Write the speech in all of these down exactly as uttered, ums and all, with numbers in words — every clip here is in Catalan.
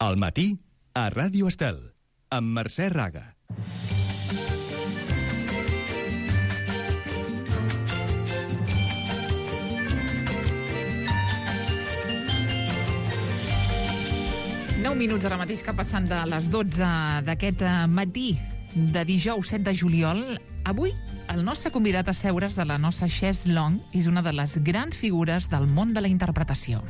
Al matí, a Ràdio Estel, amb Mercè Raga. nou minuts ara mateix que passant de les dotze d'aquest matí de dijous set de juliol. Avui el nostre convidat a seure's a la nostra chaise longue és una de les grans figures del món de la interpretació.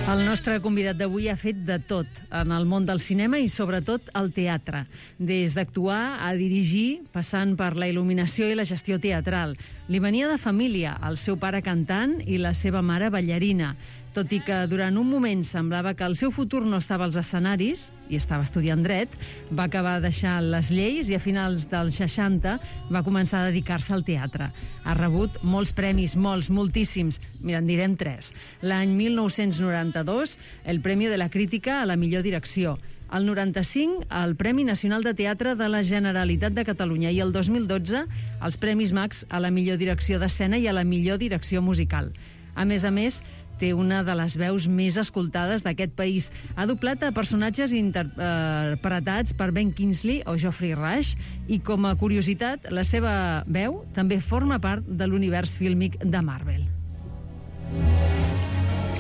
El nostre convidat d'avui ha fet de tot en el món del cinema i sobretot al teatre. Des d'actuar a dirigir, passant per la il·luminació i la gestió teatral. Li venia de família, el seu pare cantant i la seva mare ballarina. Tot i que durant un moment semblava que el seu futur no estava als escenaris, i estava estudiant dret, va acabar deixant les lleis i a finals dels seixanta va començar a dedicar-se al teatre. Ha rebut molts premis, molts, moltíssims. Mira, en direm tres. L'any mil nou-cents noranta-dos, el Premi de la Crítica a la millor direcció. El noranta-cinc, el Premi Nacional de Teatre de la Generalitat de Catalunya. I el dos mil dotze, els Premis Max a la millor direcció d'escena i a la millor direcció musical. A més a més, té una de les veus més escoltades d'aquest país. Ha doblat a personatges interpretats per Ben Kingsley o Geoffrey Rush i, com a curiositat, la seva veu també forma part de l'univers fílmic de Marvel.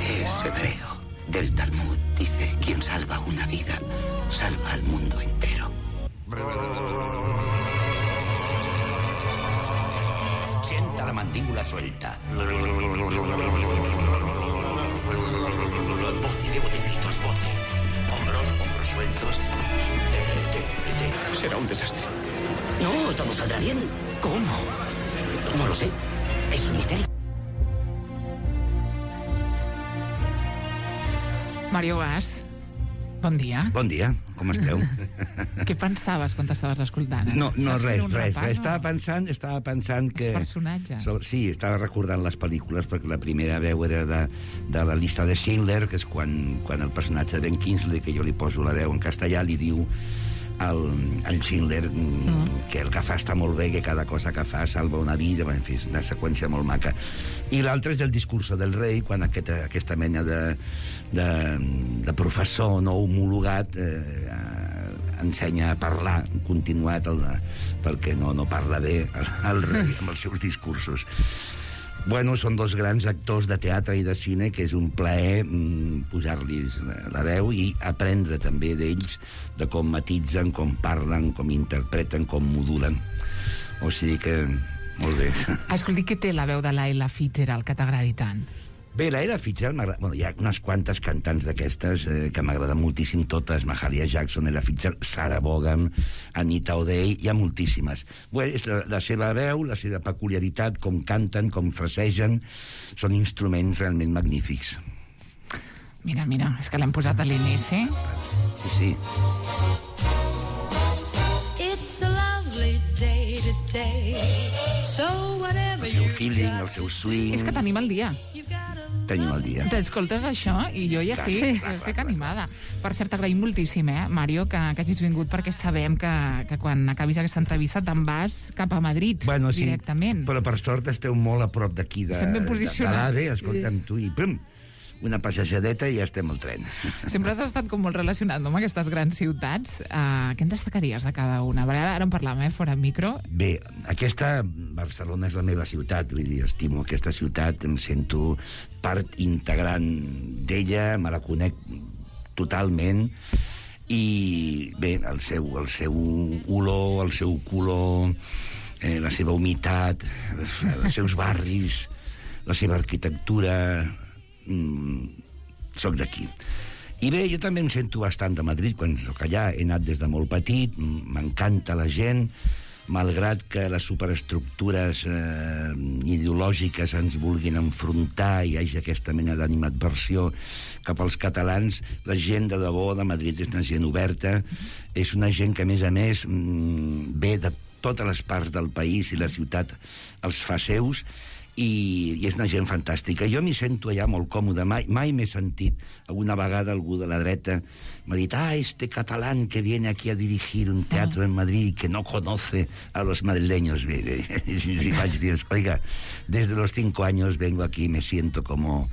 Es hebreo. Del Talmud dice: quien salva una vida, salva al mundo entero. Sienta la mandíbula suelta. Bote de botecitos, bote. Hombros, hombros sueltos. Dele, dele, dele. Será un desastre. No, todo saldrá bien. ¿Cómo? No lo sé. Es un misterio. Mario Gas, bon dia. Bon dia, com esteu? Què pensaves quan t'estaves escoltant? No, no Saps res, fer un res, repàs, res. no? Estava pensant, estava pensant que... Els personatges. So, sí, estava recordant les pel·lícules, perquè la primera veu era de, de la llista de Schindler, que és quan, quan el personatge de Ben Kingsley, que jo li poso la veu en castellà, li diu al, al Schindler mm. que el que fa està molt bé, que cada cosa que fa salva una vida, en fi, és una seqüència molt maca. I l'altre és el discurso del rei, quan aquesta, aquesta mena de, de, de professor no homologat eh, ensenya a parlar continuat el, perquè no, no parla bé el, el rei amb els seus discursos. Bueno, són dos grans actors de teatre i de cine que és un plaer mm, pujar-los la veu i aprendre també d'ells de com matitzen, com parlen, com interpreten, com modulen. O sigui que, molt bé. Escolti, què té la veu de l'Ella Fitzgerald que t'agradi tant? Bé, l'Ella Fitzgerald, bueno, hi ha unes quantes cantants d'aquestes eh, que m'agraden moltíssim totes, Mahalia Jackson, Ella Fitzgerald, Sarah Vaughan, Anita O'Day, hi ha moltíssimes. Bé, és la, la seva veu, la seva peculiaritat, com canten, com frasegen, són instruments realment magnífics. Mira, mira, és que l'hem posat a l'inici. Sí, sí. It's a lovely day today, so whatever El seu feeling, el seu swing... És que tenim el dia. Tenim el dia. T'escoltes això i jo ja estic, Sí. ja estic animada. Per cert, t'agraïm moltíssim, eh, Mario, que, que hagis vingut, perquè sabem que, que quan acabis aquesta entrevista te'n vas cap a Madrid, Bueno, sí, directament. però per sort esteu molt a prop d'aquí de, Estem ben de, de posicionats. l'A D E, escolta'm tu, i pum, una passejadeta i ja estem al tren. Sempre has estat com molt relacionat, no?, amb aquestes grans ciutats. Uh, què en destacaries de cada una? Perquè ara, ara en parlàvem, eh, fora micro. Bé, aquesta, Barcelona és la meva ciutat, vull dir, estimo aquesta ciutat, em sento part integrant d'ella, me la conec totalment, i bé, el seu, el seu olor, el seu color, eh, la seva humitat, els seus barris, la seva arquitectura... Mm, soc d'aquí. I bé, jo també em sento bastant de Madrid quan soc allà, he anat des de molt petit, m'encanta la gent, malgrat que les superestructures eh, ideològiques ens vulguin enfrontar i hi hagi aquesta mena d'animadversió cap als catalans, la gent de debò de Madrid és una gent oberta, és una gent que a més a més mm, ve de totes les parts del país i la ciutat els fa seus, i, i és una gent fantàstica. Jo m'hi sento allà molt còmode, mai, mai m'he sentit. Alguna vegada algú de la dreta m'ha dit, ah, este catalán que viene aquí a dirigir un teatro en Madrid que no conoce a los madrileños. Y vaig dir, oiga, desde los cinco años vengo aquí, me siento como...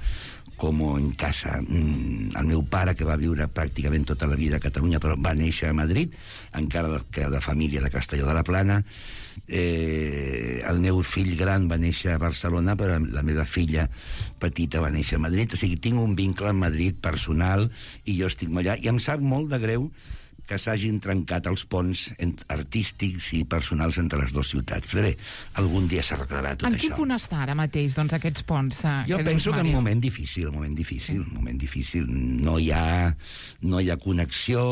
como en casa. El meu pare, que va viure pràcticament tota la vida a Catalunya, però va néixer a Madrid, encara que de família de Castelló de la Plana. Eh, el meu fill gran va néixer a Barcelona, però la meva filla petita va néixer a Madrid. O sigui, tinc un vincle amb Madrid personal i jo estic allà. I em sap molt de greu que s'hagin trencat els ponts artístics i personals entre les dues ciutats. Però bé, algun dia s'arreglarà tot en això. En quin punt està ara mateix, doncs, aquests ponts? Eh, jo que penso dius, que en Mario? un moment difícil, un moment difícil, un moment difícil. No hi ha, no hi ha connexió.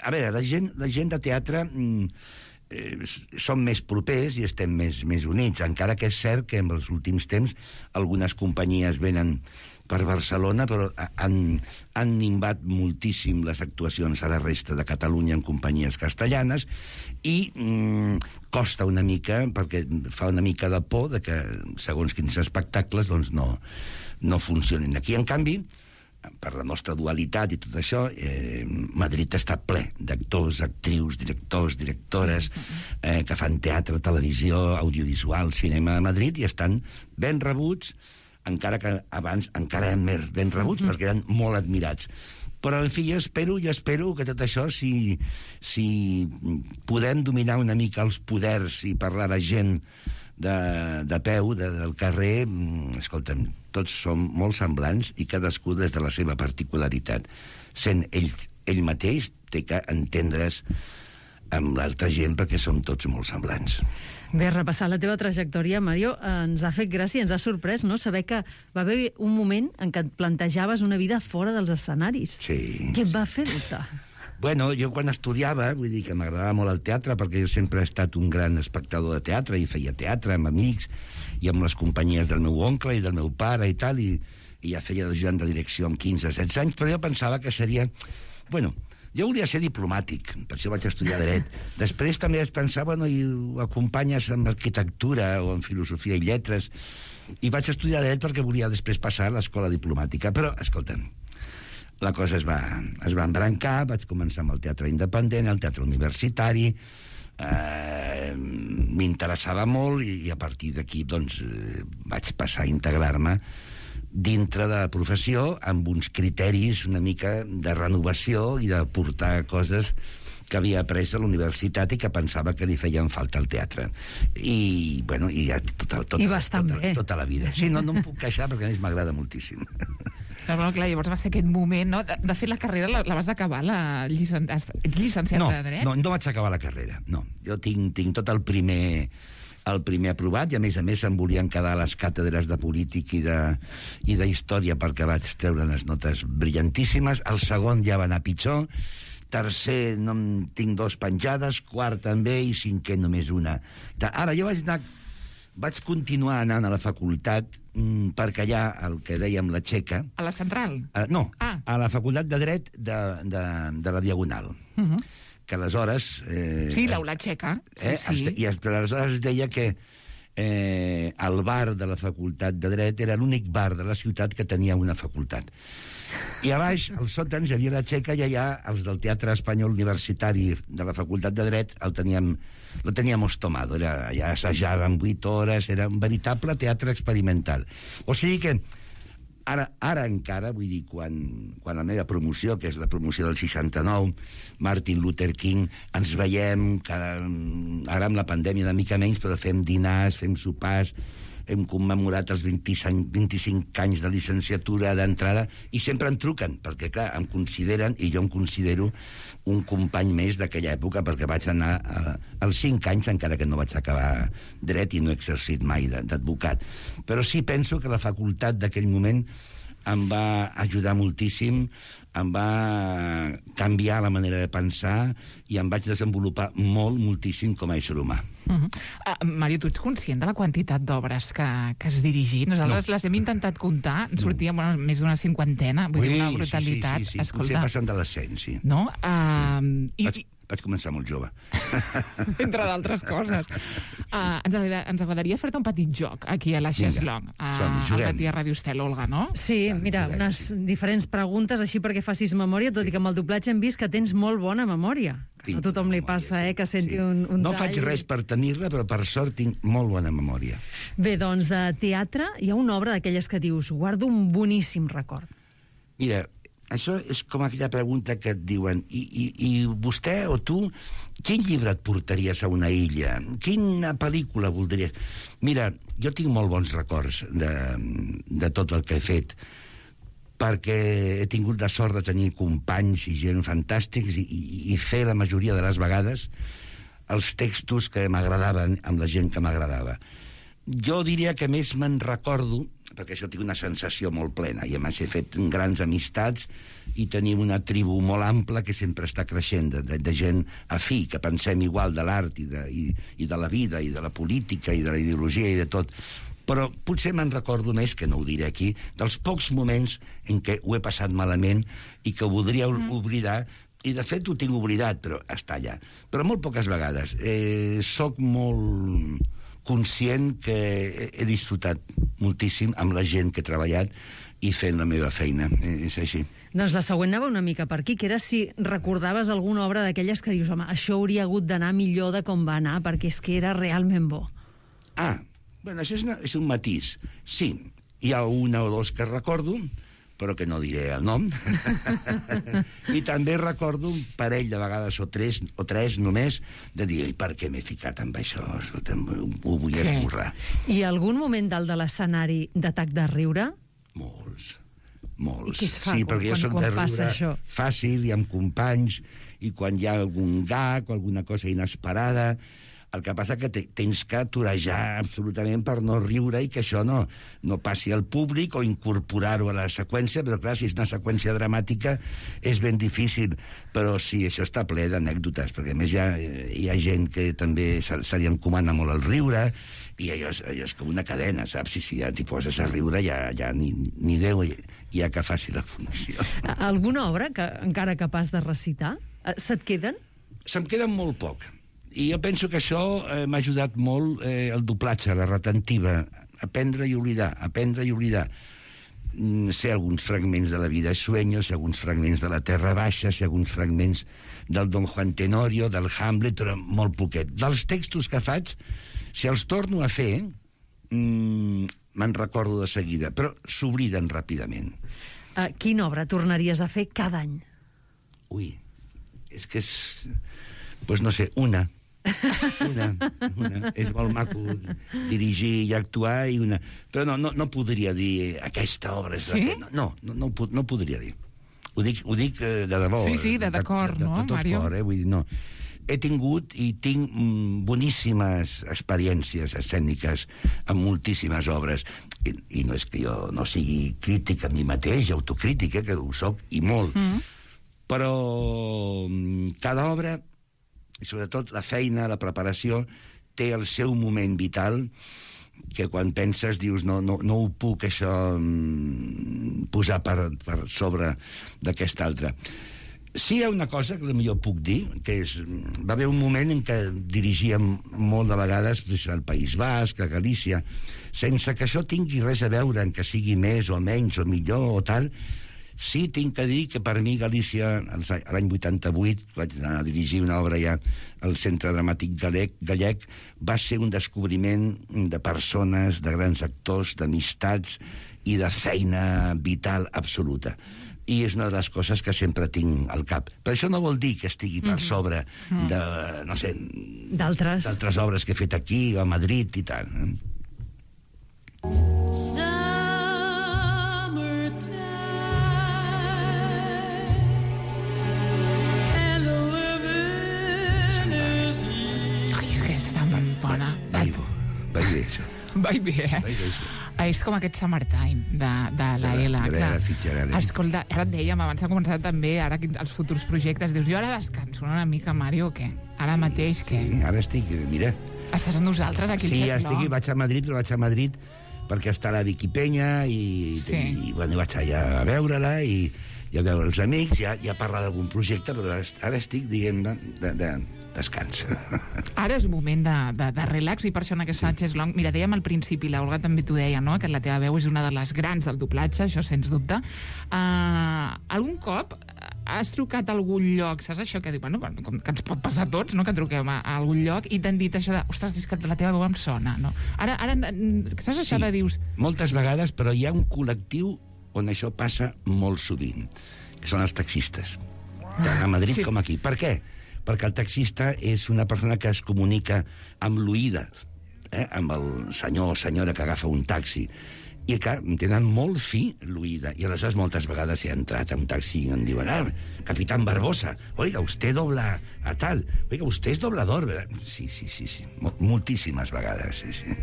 A veure, la gent, la gent de teatre eh, som més propers i estem més, més units, encara que és cert que en els últims temps algunes companyies venen per Barcelona, però han, han nimbat moltíssim les actuacions a la resta de Catalunya en companyies castellanes i mm, costa una mica, perquè fa una mica de por de que segons quins espectacles doncs no, no funcionin. Aquí, en canvi, per la nostra dualitat i tot això, eh, Madrid està ple d'actors, actrius, directors, directores eh, que fan teatre, televisió, audiovisual, cinema a Madrid i estan ben rebuts, encara que abans encara eren més ben rebuts, mm-hmm. perquè eren molt admirats. Però, en fi, jo espero, jo espero que tot això, si, si podem dominar una mica els poders i parlar de gent de, de peu, de, del carrer, escolta'm, tots som molt semblants i cadascú des de la seva particularitat. Sent ell, ell mateix, té que entendre's amb l'altra gent perquè som tots molt semblants. Bé, repassar la teva trajectòria, Mario, ens ha fet gràcia, ens ha sorprès, no?, saber que va haver un moment en què et plantejaves una vida fora dels escenaris. Sí. Què et va fer dubtar? Bueno, jo quan estudiava, vull dir que m'agradava molt el teatre, perquè jo sempre he estat un gran espectador de teatre, i feia teatre amb amics, i amb les companyies del meu oncle i del meu pare i tal, i, i ja feia d'ajudant de direcció amb quinze, setze anys, però jo pensava que seria... Bueno, jo volia ser diplomàtic, per això vaig estudiar dret. Després també vaig pensar, bueno, i ho acompanyes amb arquitectura o en filosofia i lletres, i vaig estudiar dret perquè volia després passar a l'escola diplomàtica. Però, escolta'm, la cosa es va, es va embrancar, vaig començar amb el teatre independent, el teatre universitari, eh, m'interessava molt, i, i a partir d'aquí, doncs, eh, vaig passar a integrar-me dintre de la professió amb uns criteris una mica de renovació i de portar coses que havia après a la universitat i que pensava que li feien falta al teatre. I, bueno, i ja tota, tota, I bastant tota, bé. tota la vida. Sí, no, no em puc queixar perquè a més m'agrada moltíssim. No, no, clar, llavors va ser aquest moment, no? De, de fet, la carrera la, la vas acabar, la llicen... ets llicenciat no, de dret? No, no vaig acabar la carrera, no. Jo tinc, tinc tot el primer... el primer aprovat, i a més a més em volien quedar a les càtedres de polític i de, i de història perquè vaig treure unes notes brillantíssimes. El segon ja va anar pitjor, tercer no en tinc dos penjades, quart també, i cinquè només una. Ara jo vaig anar, vaig continuar anant a la facultat mmm, perquè allà, el que dèiem la Txeca... A la central? Uh, no, ah. a la facultat de dret de, de, de la Diagonal. Uh-huh. Que aleshores... Eh, sí, l'aula txeca. Sí, eh, sí. I aleshores es deia que eh, el bar de la facultat de dret era l'únic bar de la ciutat que tenia una facultat. I a baix, als sòtans, hi havia la Txeca, i allà els del Teatre Espanyol Universitari de la facultat de dret el teníem, lo teníamos tomado. Era, allà assajàvem vuit hores, era un veritable teatre experimental. O sigui que Ara, ara encara, vull dir, quan, quan la meva promoció, que és la promoció del seixanta-nou, Martin Luther King, ens veiem, cada, ara amb la pandèmia una mica menys, però fem dinars, fem sopars, hem commemorat els vint-i-cinc, vint-i-cinc anys de licenciatura d'entrada, i sempre em truquen, perquè, clar, em consideren, i jo em considero un company més d'aquella època, perquè vaig anar a, als cinc anys, encara que no vaig acabar dret i no he exercit mai d'advocat. Però sí penso que la facultat d'aquell moment em va ajudar moltíssim, em va canviar la manera de pensar i em vaig desenvolupar molt, moltíssim com a ésser humà. Uh-huh. uh, Mario, tu ets conscient de la quantitat d'obres que, que has dirigit? Nosaltres no. les hem intentat comptar, en sortia no. bueno, més d'una cinquantena, vull Ui, dir, una brutalitat. Sí, sí, sí, sí. Escolta, potser passant de les cent, sí. No? Uh, i, vaig, Vaig començar molt jove. Entre d'altres coses. Uh, ens, agrada, ens agradaria fer-te un petit joc aquí a la Xeslong, a, al matí a Ràdio Estel, Olga, no? Sí, mira, unes diferents preguntes així perquè facis memòria, tot i que amb el doblatge hem vist que tens molt bona memòria. A tothom li passa, eh, que senti sí. un, un No tall. faig res per tenir-la, però per sort tinc molt bona memòria. Bé, doncs de teatre hi ha una obra d'aquelles que dius guardo un boníssim record. Mira, això és com aquella pregunta que et diuen i, i, i vostè o tu, quin llibre et portaries a una illa? Quina pel·lícula voldries? Mira, jo tinc molt bons records de, de tot el que he fet, perquè he tingut la sort de tenir companys i gent fantàstics i, i, i fer la majoria de les vegades els textos que m'agradaven amb la gent que m'agradava. Jo diria que més me'n recordo, perquè això tinc una sensació molt plena, i a més he fet grans amistats i tenim una tribu molt ampla que sempre està creixent, de, de, de gent afí, que pensem igual de l'art i, de, i, i de la vida i de la política i de la ideologia i de tot. Però potser me'n recordo més, que no ho diré aquí, dels pocs moments en què ho he passat malament i que ho voldria mm. oblidar, i de fet ho tinc oblidat, però està allà. Però molt poques vegades. Eh, soc molt conscient que he disfrutat moltíssim amb la gent que he treballat i fent la meva feina. És així. Doncs la següent anava una mica per aquí, que era si recordaves alguna obra d'aquelles que dius, home, això hauria hagut d'anar millor de com va anar, perquè és que era realment bo. Ah, bueno, això és, una, és un matís. Sí, hi ha una o dos que recordo, però que no diré el nom. I també recordo un parell de vegades, o tres, o tres només, de dir, per què m'he ficat amb això? Ho vull esborrar. I algun moment dalt de l'escenari d'atac de riure? Molts, molts. I què es fa sí, quan, perquè jo quan, soc quan de passa riure això? Fàcil i amb companys, i quan hi ha algun gag o alguna cosa inesperada. El que passa que te, tens que aturejar absolutament per no riure i que això no, no passi al públic o incorporar-ho a la seqüència, però clar, si és una seqüència dramàtica és ben difícil, però sí, això està ple d'anècdotes, perquè a més hi ha, hi ha gent que també se, se li encomana molt el riure, i allò és, allò és com una cadena, saps? Si, si ja t'hi poses a riure, ja, ja ni, ni Déu hi ha que faci la funció. Alguna obra que encara capaç de recitar? Se't queden? Se'm queden molt poc. I jo penso que això eh, m'ha ajudat molt eh, el doblatge, la retentiva, aprendre i oblidar, aprendre i oblidar. Mm, sé alguns fragments de la vida de Sueños, sé alguns fragments de la Terra Baixa, sé alguns fragments del Don Juan Tenorio, del Hamlet, però molt poquet. Dels textos que faig, si els torno a fer, mm, me'n recordo de seguida, però s'obliden ràpidament. Uh, quina obra tornaries a fer cada any? Ui, és que és... Pues no sé, una. Una, una. És molt maco dirigir i actuar i una... Però no, no, no podria dir aquesta obra és sí? la que... No, no, no, no, no podria dir. Ho dic, ho dic de debò. Sí, sí, de d'acord, no, de, de, de Mario? Cor, eh? Vull dir, no. He tingut i tinc mm, boníssimes experiències escèniques amb moltíssimes obres. I, I no és que jo no sigui crític a mi mateix, autocrític, eh, que ho soc, i molt. Mm. Però mm, cada obra, i sobretot la feina, la preparació, té el seu moment vital que quan penses dius no, no, no ho puc això mm, posar per, per sobre d'aquesta altra. Sí hi ha una cosa que potser puc dir, que és, va haver un moment en què dirigíem molt de vegades al País Basc, a Galícia, sense que això tingui res a veure en que sigui més o menys o millor o tal. Sí, tinc que dir que per mi Galícia, l'any vuitanta-vuit, vaig anar a dirigir una obra ja al Centre Dramàtic Gallec, gallec va ser un descobriment de persones, de grans actors, d'amistats i de feina vital absoluta. I és una de les coses que sempre tinc al cap. Però això no vol dir que estigui per sobre de, no sé... D'altres. D'altres obres que he fet aquí, a Madrid i tal. Va bé, això. Va bé, eh? Va bé, això. És com aquest Summertime de, de la Ela. De la Fitzgerald. Escolta, ara et dèiem, abans de començar també, ara els futurs projectes, dius, jo ara descanso una mica, Mario, o què? Ara mateix, què? Sí, ara estic, mira... Estàs amb nosaltres aquí al Sí, Xeslong? estic, vaig a Madrid, però vaig a Madrid perquè està la Vicky Peña i, sí. i, i bueno, vaig allà a veure-la i, ja veure els amics, ja, ja parlar d'algun projecte, però ara, ara estic, diguem, de, de, de descans. Ara és un moment de, de, de relax, i per això en aquesta sí. Chess Long, mira, dèiem al principi, l'Olga també t'ho deia, no?, que la teva veu és una de les grans del doblatge, això sens dubte. Uh, algun cop has trucat a algun lloc, saps això que diu, bueno, com que ens pot passar a tots, no?, que truquem a, a algun lloc i t'han dit això de, ostres, és que la teva veu em sona, no? Ara, ara saps això sí, de dius... moltes vegades, però hi ha un col·lectiu on això passa molt sovint, que són els taxistes, tant a Madrid sí. com aquí. Per què? Perquè el taxista és una persona que es comunica amb l'oïda, eh? amb el senyor o senyora que agafa un taxi, i que tenen molt fi l'oïda, i aleshores moltes vegades he entrat a un taxi i em diuen, ah, capitán Barbosa, oiga, usted dobla a tal, oiga, usted és doblador, ¿verdad? Sí, sí, sí, sí, moltíssimes vegades, sí, sí.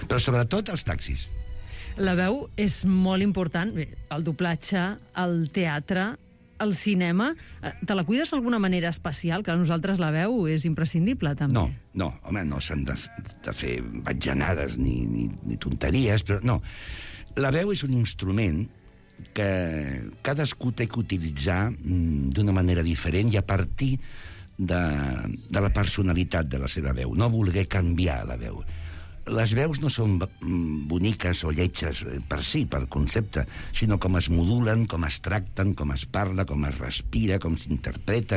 Però sobretot els taxis. La veu és molt important, bé, el doblatge, el teatre, el cinema. Te la cuides d'alguna manera especial? Que a nosaltres la veu és imprescindible, també. No, no, home, no s'han de, de fer batjanades ni, ni, ni tonteries, però no. La veu és un instrument que cadascú té que utilitzar d'una manera diferent i a partir de, de la personalitat de la seva veu, no voler canviar la veu. Les veus no són boniques o lletges per si, per concepte, sinó com es modulen, com es tracten, com es parla, com es respira, com s'interpreta,